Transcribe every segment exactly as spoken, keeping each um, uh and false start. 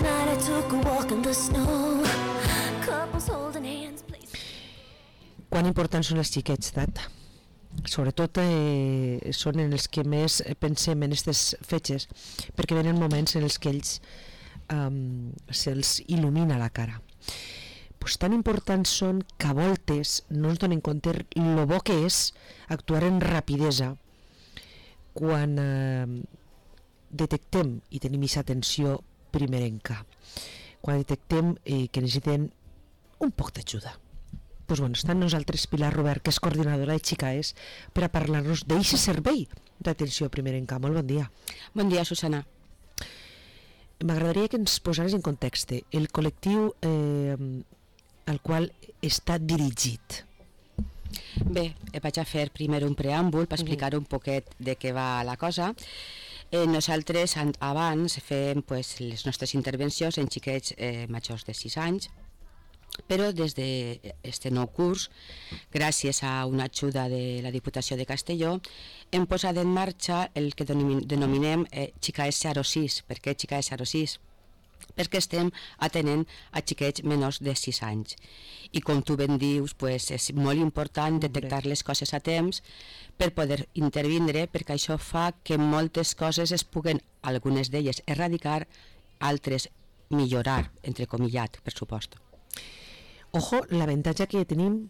Last night I took a walk in the snow. Couples holding hands, please. Quan importants són els xiquets, Tat? Sobretot eh, són en els que més pensem en aquestes fetges, perquè venen moments en els que ells um, se'ls il·lumina la cara. Pues tan importants són que a voltes no ens donen compte lo bo que és actuar en rapidesa quan eh, detectem i tenim aquesta atenció primerenca, quan detectem eh, que necessiten un poc d'ajuda. Pues bueno, està amb nosaltres Pilar Robert, que és coordinadora de Xicaes, per a parlar-nos d'aquest servei d'atenció primerenca. Molt bon dia. Bon dia, Susana. M'agradaria que ens posares en context el col·lectiu eh, al qual està dirigit. Bé, vaig a fer primer un preàmbul per explicar un poquet de què va la cosa. Eh, nosaltres abans fem pues, les nostres intervencions en xiquets eh, majors de sis anys, però des d'aquest nou curs, gràcies a una ajuda de la Diputació de Castelló, hem posat en marxa el que denominem eh, Xicaes zero sis. Per què Xicaes zero sis? Perquè estem atenent a xiquets menors de sis anys. I com tu ben dius, pues, és molt important detectar les coses a temps per poder intervindre, perquè això fa que moltes coses es puguen, algunes d'elles, erradicar, altres millorar, entrecomillat, per supost. Ojo, l'avantatge que tenim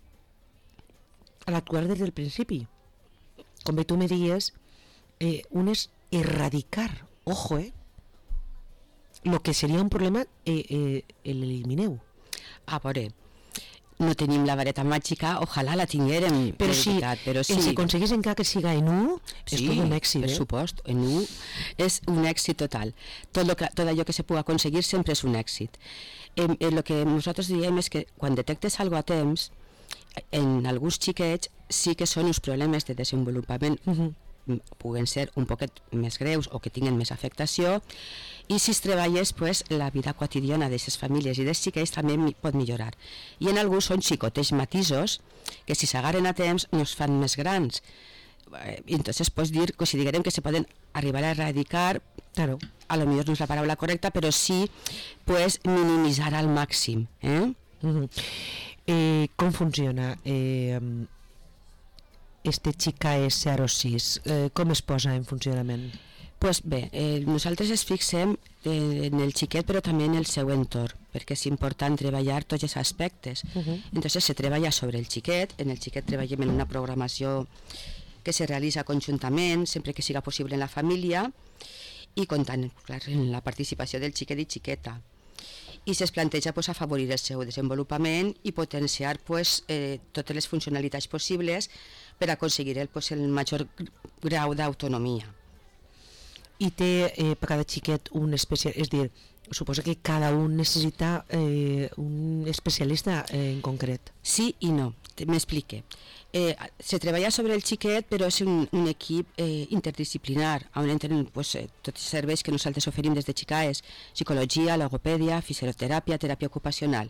a l'actuar des del principi. Com bé tu me dies, eh, un és erradicar, ojo, eh? Lo que seria un problema, eh, eh, l'elimineu. A veure, no tenim la vareta màgica, ojalà la tinguérem, però si, veritat, però sí. Si aconseguís encara que siga en u, sí, és tot un èxit. Per eh? supost, en u és un èxit total. Tot, lo que, tot allò que se pugui aconseguir sempre és un èxit. Eh, eh, el que nosaltres diem és que quan detectes alguna cosa a temps, en alguns xiquets sí que són uns problemes de desenvolupament, uh-huh. puguen ser un poquet més greus o que tinguen més afectació, i si es treballes, pues, la vida quotidiana d'aquestes famílies i dels xiquets també pot millorar. I en alguns són xicotes matisos que si s'agarren a temps no es fan més grans. I entonces pots dir, considerem que se poden arribar a erradicar, claro, a lo millor no és la paraula correcta, però sí pues, minimitzar al màxim. Eh? Uh-huh. Eh, com funciona eh, este Xicaes zero sis? Eh, com es posa en funcionament? Pues bé, eh, nosaltres es fixem eh, en el xiquet però també en el seu entorn, perquè és important treballar tots els aspectes. Uh-huh. Entonces se treballa sobre el xiquet, en el xiquet treballem en una programació que se realitza conjuntament, sempre que siga possible en la família, i comptant, clar, en la participació del xiquet i xiqueta. I es planteja pues, afavorir el seu desenvolupament i potenciar pues, eh, totes les funcionalitats possibles per aconseguir el, pues, el major grau d'autonomia. I té eh, per cada xiquet un especial, és dir, suposa que cada un necessita eh, un especialista eh, en concret. Sí i no, m'explique. Eh, se treballa sobre el xiquet, però és un, un equip eh, interdisciplinar, on entren pues, eh, tots els serveis que nosaltres oferim des de Xicaes, psicologia, logopèdia, fisioteràpia, teràpia ocupacional.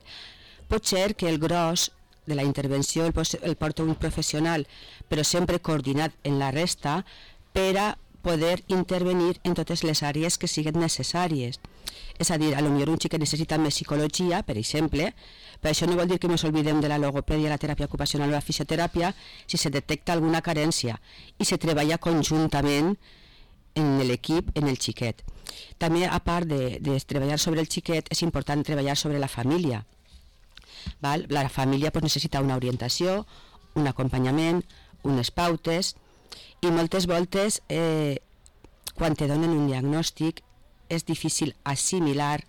Pot ser que el gros de la intervenció el, el porta un professional, però sempre coordinat en la resta per a poder intervenir en totes les àrees que siguin necessàries. És a dir, potser un xiquet necessita més psicologia, per exemple, però això no vol dir que ens oblidem de la logopèdia, la teràpia ocupacional o la fisioteràpia si se detecta alguna carència i se treballa conjuntament en l'equip, en el xiquet. També, a part de, de treballar sobre el xiquet, és important treballar sobre la família. Val? La família pues, necessita una orientació, un acompanyament, unes pautes, i moltes voltes eh, quan te donen un diagnòstic és difícil assimilar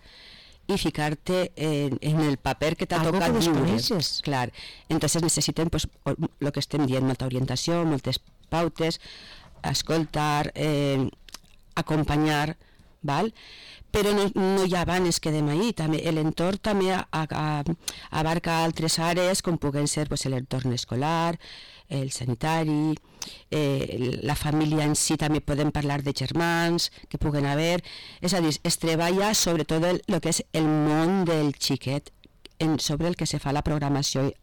i ficar-te en, en el paper que t'ha tocat viure. Clar, entonces necessitem pues, el que estem dient, molta orientació, moltes pautes, escoltar, eh, acompanyar, val? Però no, no hi ha abans es quedem ahí, també l'entorn també a, a, abarca altres àrees com puguen ser pues, l'entorn escolar, el sanitari, eh, la família en si, també podem parlar de germans que puguen haver, és a dir, es treballa sobretot el, el que és el món del xiquet en, sobre el que se fa la programació i,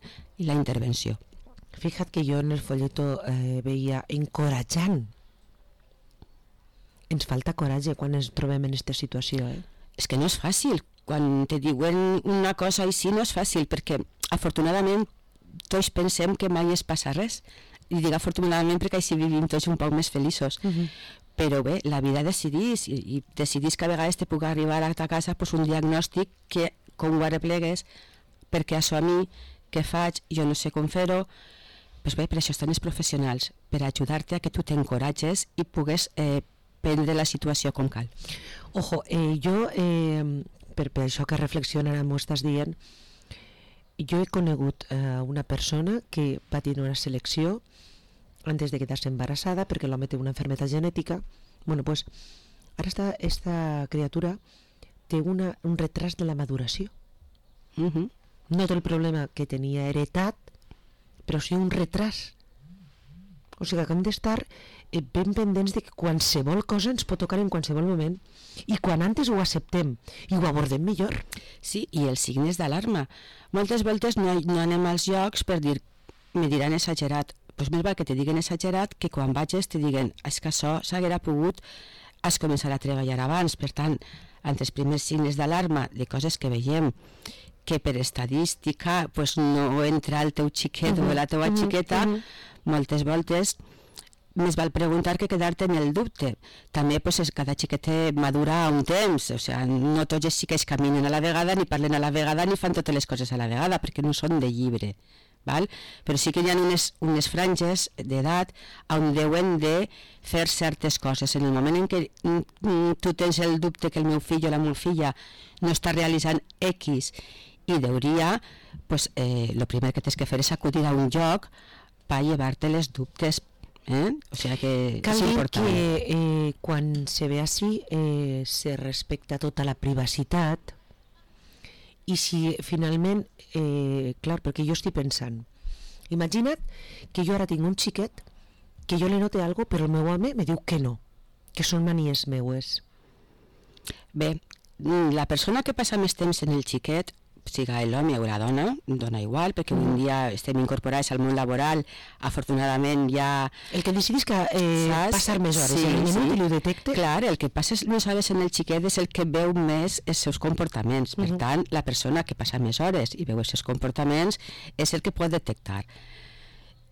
i la intervenció. Fíjate que jo en el folleto eh, veia encoratjant. Ens falta coratge quan ens trobem en aquesta situació, eh? És que no és fàcil quan te diuen una cosa així no és fàcil, perquè afortunadament tots pensem que mai es passa res, i dic afortunadament perquè així vivim tots un poc més feliços. Uh-huh. Però bé, la vida decidís, i, i decidís que a vegades te puc arribar a ta casa pues, un diagnòstic que, com ho arreplegues, perquè això a mi, què faig, jo no sé com fer-ho, pues bé, per això estan els professionals, per ajudar-te a que tu t'encoratges i pugues eh, prendre la situació com cal. Ojo, eh, jo, eh, per, per això que reflexiona ara m'ho estàs dient, jo he conegut eh, una persona que va tenir una selecció antes de quedar-se embarassada perquè l'home té una enfermedad genètica. Bueno, pues ara esta, esta criatura té una, un retras de la maduració. Uh-huh. No té el problema que tenia heretat, però sí un retras. O sigui que hem d'estar eh, ben pendents de que qualsevol cosa ens pot tocar en qualsevol moment, i quan antes ho acceptem i ho abordem millor. Sí, i els signes d'alarma. Moltes voltes no, no anem als llocs per dir, me diran exagerat. Doncs més val que te diguen exagerat que quan vagis te diguen és que això s'haguera pogut has començar a treballar abans. Per tant, entre els primers signes d'alarma de coses que veiem que per estadística pues, no entra el teu xiquet uh-huh, o la teua uh-huh, xiqueta, uh-huh. moltes voltes més val preguntar que quedar-te en el dubte. També pues, cada xiquet madura a un temps, o sigui, no tots els xiquets caminen a la vegada, ni parlen a la vegada, ni fan totes les coses a la vegada, perquè no són de llibre. Val? Però sí que hi ha unes, unes franges d'edat on deuen de fer certes coses. En el moment en què mm, tu tens el dubte que el meu fill o la meva filla no està realitzant X i deuria, pues, eh, lo primer que tens que fer és acudir a un lloc per llevar-te les dubtes. Eh? O sigui que cal és dir important. que eh, quan se ve així eh, se respecta tota la privacitat. I si finalment, eh, clar, perquè jo estic pensant, imagina't que jo ara tinc un xiquet que jo li note alguna cosa, però el meu home me diu que no, que són manies meues. Bé, la persona que passa més temps en el xiquet, siga l'home o la dona, dona igual, perquè avui en dia estem incorporats al món laboral, afortunadament ja... El que decidís que eh, passar més hores, sí, el minut sí. i ho detecte... Clar, el que passa més hores en el xiquet és el que veu més els seus comportaments. Per uh-huh. tant, la persona que passa més hores i veu els seus comportaments és el que pot detectar.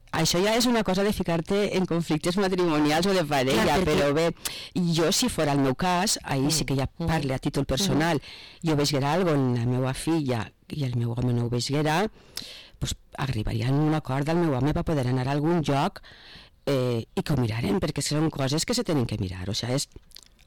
Això ja és una cosa de ficar-te en conflictes matrimonials o de parella, clar, perquè... però bé, jo si fora el meu cas, ahir sí que ja parle a títol personal, jo veiguera alguna cosa en la meva filla i el meu home no ho veiguera, pues, arribaria a un acord del meu home per poder anar a algun lloc eh, i que ho mirarem, perquè són coses que se tenen que mirar, o sigui, és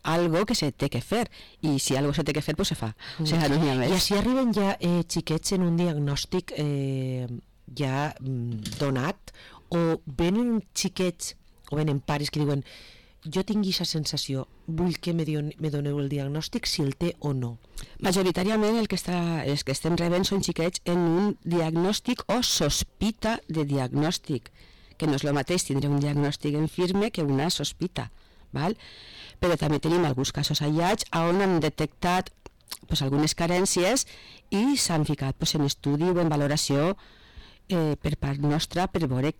algo que se té que fer, i si algo se té que fer, pues se fa, o sigui, no n'hi ha més. I així arriben ja eh, xiquets en un diagnòstic eh, ja mm, donat, o venen xiquets o venen pares que diuen jo tinc aquesta sensació, vull que me, dion, me doneu el diagnòstic si el té o no. Majoritàriament el que, està, els que estem rebent són xiquets en un diagnòstic o sospita de diagnòstic, que no és el mateix tindre un diagnòstic en firme que una sospita, val? Però també tenim alguns casos aïllats on han detectat pues, algunes carències i s'han ficat pues, en estudi o en valoració eh, per part nostra per veure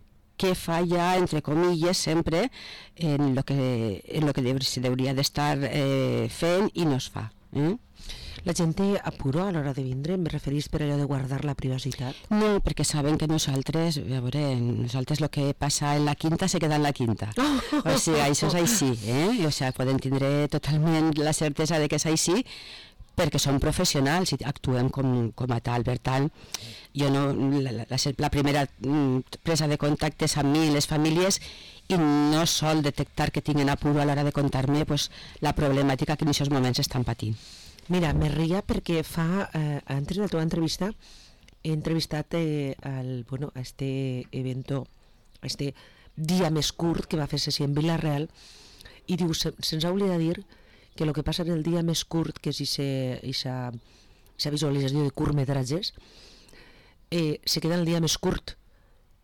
què falla, entre comilles, sempre en lo que, en lo que deu, se hauria d'estar eh, fent i no es fa. Eh? La gent té apuro a l'hora de vindre, em referís per allò de guardar la privacitat? No, perquè saben que nosaltres, a veure, nosaltres el que passa en la quinta se queda en la quinta. Oh! O sigui, això és així, eh? O sigui, poden tindre totalment la certesa de que és així, perquè som professionals i actuem com, com a tal. Per tant, jo no, la, la, la primera presa de contacte és amb mi i les famílies i no sol detectar que tinguin apuro a l'hora de contar-me pues, la problemàtica que en aquests moments estan patint. Mira, me ria perquè fa, eh, antes de la teva entrevista he entrevistat eh, al, bueno, a este evento, a este dia més curt que va fer-se en Vila-real i diu, se, se'ns ha oblidat dir que el que passa en el dia més curt, que és aquesta visualització de curtmetratges, eh, se queda en el dia més curt.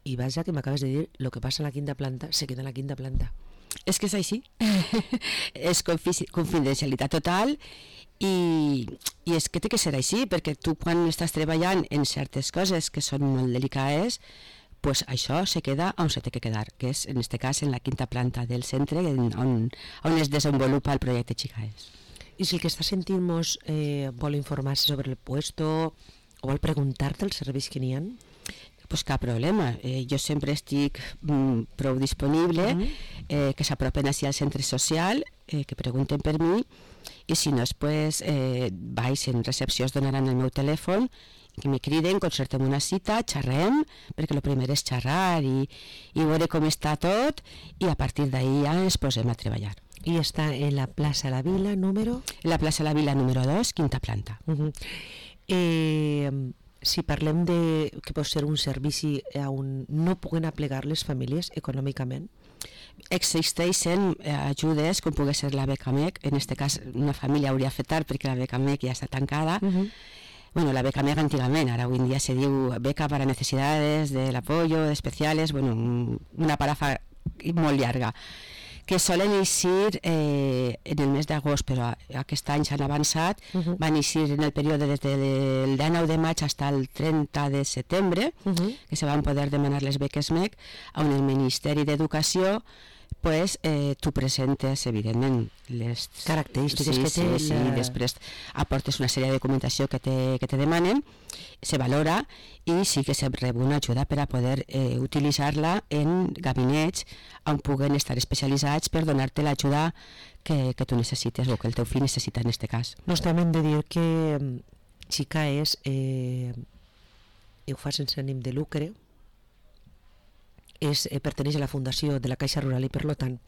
I vaja, que m'acabes de dir, el que passa a la quinta planta, se queda en la quinta planta. És que és així. És confidencialitat total i, i és que té que ser així, perquè tu quan estàs treballant en certes coses que són molt delicades, pues això se queda on se té que quedar, que és en aquest cas en la quinta planta del centre on, on es desenvolupa el projecte Xicaes. I si el que està sentint-nos eh, vol informar-se sobre el puesto o vol preguntar-te els serveis que n'hi ha? Pues cap problema, eh, jo sempre estic mm, prou disponible, Mm. eh, que s'apropen així al centre social, eh, que pregunten per mi, i si no, pues, eh, vaig en recepció, es donaran el meu telèfon, que me criden, concertem una cita, xerrem, perquè el primer és xerrar i, i veure com està tot, i a partir d'ahir ja ens posem a treballar. I està en la plaça La Vila, número? En la plaça La Vila número dos, quinta planta. Uh -huh. eh, si parlem de que pot ser un servici on no puguen aplegar les famílies econòmicament, existeixen eh, ajudes com pugui ser la beca M E C, en aquest cas una família hauria fet tard perquè la beca M E C ja està tancada. uh -huh. Bueno, la beca M E C antigament, ara avui en dia se diu beca para necesidades del apoyo especiales, bueno, una parafa molt llarga, que solen eixir eh, en el mes d'agost, però aquest any s'han avançat, uh -huh. van eixir en el període des del dinou de maig fins al trenta de setembre, uh -huh. que se van poder demanar les beques M E C, on el Ministeri d'Educació pues, eh, tu presentes, evidentment, les característiques sí, que sí, té sí, la... després aportes una sèrie de documentació que te, que te demanen, se valora i sí que se rep una ajuda per a poder eh, utilitzar-la en gabinets on puguen estar especialitzats per donar-te l'ajuda que, que tu necessites o que el teu fill necessita en aquest cas. Nos també hem de dir que Xicaes eh, ho fa sense ànim de lucre, és, eh, perteneix a la Fundació de la Caixa Rural i per tant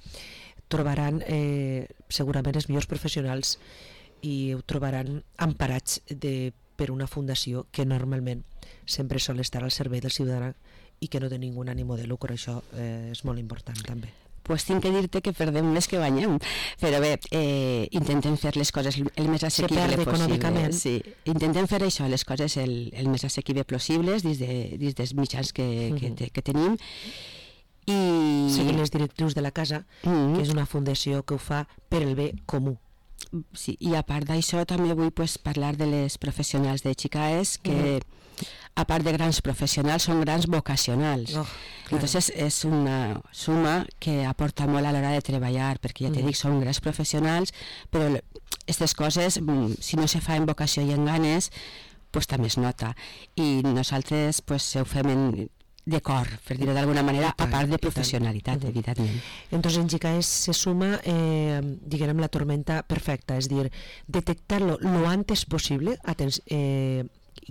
trobaran eh, segurament els millors professionals i ho trobaran emparats de, per una fundació que normalment sempre sol estar al servei del ciutadà i que no té ningú ànimo de lucre. Això eh, és molt important també. Pues tinc que dir-te que perdem més que guanyem, però bé, eh, intentem fer les coses el més assequible possible. Sí, intentem fer això, les coses el, el més assequible possibles dins, de, dins dels mitjans que, que, te, que tenim. I... Seguint les directrius de la casa, Mm. que és una fundació que ho fa per el bé comú. Sí, i a part d'això també vull pues, parlar de les professionals de Xicaes que mm. a part de grans professionals són grans vocacionals. Oh, Entonces és una suma que aporta molt a l'hora de treballar, perquè ja te Mm. dic, són grans professionals, però aquestes coses, mm, si no se fa en vocació i en ganes, pues també es nota. I nosaltres pues, ho fem en, de cor, per dir-ho d'alguna manera, a part de professionalitat, evidentment. Entonces en Xicaes se suma, eh, diguem, la tormenta perfecta, és dir, detectar-lo lo antes possible, atens eh,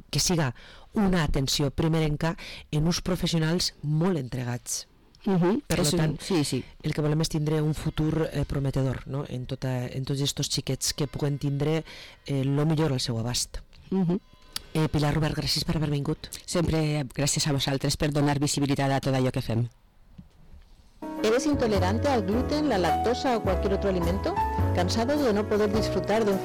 que siga una atenció primerenca en uns professionals molt entregats. Uh -huh. Per un, tant, sí, sí. el que volem és tindre un futur eh, prometedor, no? en, tota, en tots aquests xiquets que puguen tindre eh, lo millor al seu abast. Uh -huh. eh, Pilar Robert, gràcies per haver vingut. Sempre gràcies a vosaltres per donar visibilitat a tot allò que fem. ¿Eres intolerante al gluten, la lactosa o cualquier otro alimento? ¿Cansado de no poder disfrutar de un